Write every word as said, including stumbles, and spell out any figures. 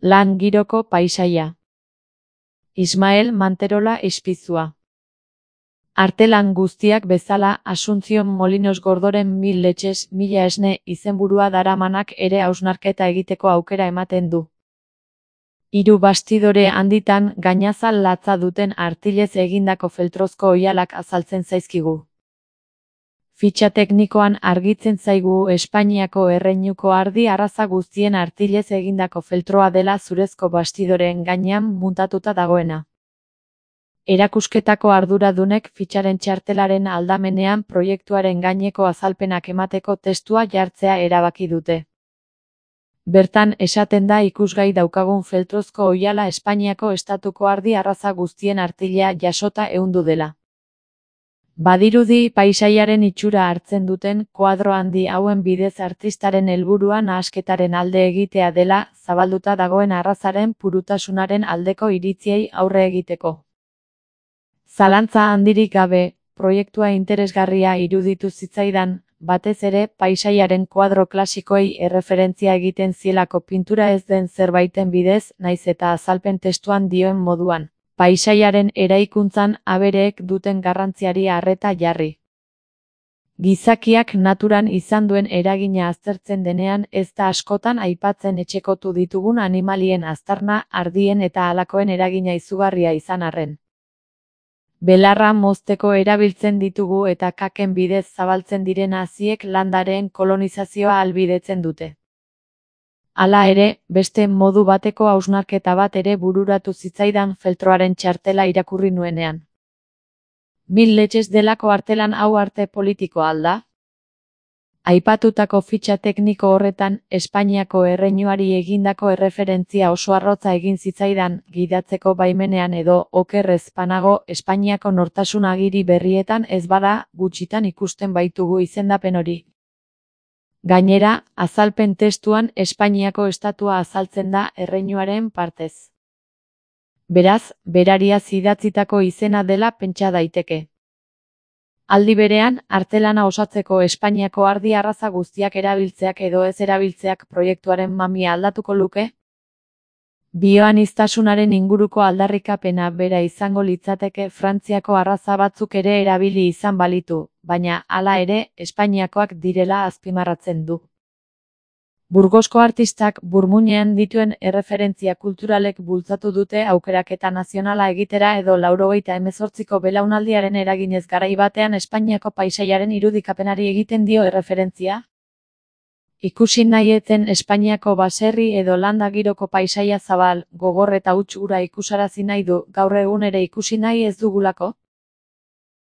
Lan giroko paisaia. Ismael Manterola Ispizua. Artelan guztiak bezala, Asunción Molinos Gordoren Mil Letxes, Mila Esne izenburua daramanak ere hausnarketa egiteko aukera ematen du. Hiru bastidore handitan gainazal latza duten artilez egindako feltrozko oihalak azaltzen zaizkigu. Fitxa teknikoan argitzen zaigu Espainiako erreinuko ardi arraza guztien artilez egindako feltroa dela zurezko bastidoreen gainean muntatuta dagoena. Erakusketako arduradunek fitxaren txartelaren aldamenean proiektuaren gaineko azalpenak emateko testua jartzea erabaki dute. Bertan esaten da ikusgai daukagun feltrozko oihala Espainiako estatuko ardi arraza guztien artilea jasota ehundu dela. Badirudi paisaiaren itxura hartzen duten koadro handi hauen bidez artistaren helburua nahasketaren alde egitea dela zabalduta dagoen arrazaren purutasunaren aldeko iritziei aurre egiteko. Zalantza handirik gabe, proiektua interesgarria iruditu zitzaidan, batez ere paisaiaren koadro klasikoei erreferentzia egiten zielako pintura ez den zerbaiten bidez, naiz eta azalpen testuan dioen moduan. Paisaiaren eraikuntzan abereek duten garrantziari arreta jarri. Gizakiak naturan izan duen eragina aztertzen denean ez da askotan aipatzen etxekotu ditugun animalien aztarna, ardien eta halakoen eragina izugarria izan arren. Belarra mozteko erabiltzen ditugu eta kaken bidez zabaltzen diren haziek landareen kolonizazioa ahalbidetzen dute. Hala ere, beste modu bateko hausnarketa bat ere bururatu zitzaidan feltroaren txartela irakurri nuenean. Mil Letxes delako artelan hau arte politikoa alda? Aipatutako fitxa tekniko horretan, Espainiako erreinuari egindako erreferentzia oso arrotza egin zitzaidan, gidatzeko baimenean edo, okerrez panago, Espainiako nortasun agiri berrietan ez bada, gutxitan ikusten baitugu izendapen hori. Gainera, azalpen testuan Espainiako estatua azaltzen da erreinuaren partez. Beraz, berariaz idatzitako izena dela pentsa daiteke. Aldi berean, artelana osatzeko Espainiako ardi arraza guztiak erabiltzeak edo ez erabiltzeak proiektuaren mamia aldatuko luke? Bioaniztasunaren inguruko aldarrikapena bera izango litzateke Frantziako arraza batzuk ere erabili izan balitu, baina hala ere Espainiakoak direla azpimarratzen du. Burgosko artistak burmuinean dituen erreferentzia kulturalek bultzatu dute aukeraketa nazionala egitera edo laurogeita hemezortziko belaunaldiaren eraginez garai batean Espainiako paisaiaren irudikapenari egiten dio erreferentzia. Ikusi nahi eten Espainiako baserri edo landa giroko paisaia zabal, gogor eta huts hura ikusarazi nahi du, gaur egun ere ikusi nahi ez dugulako?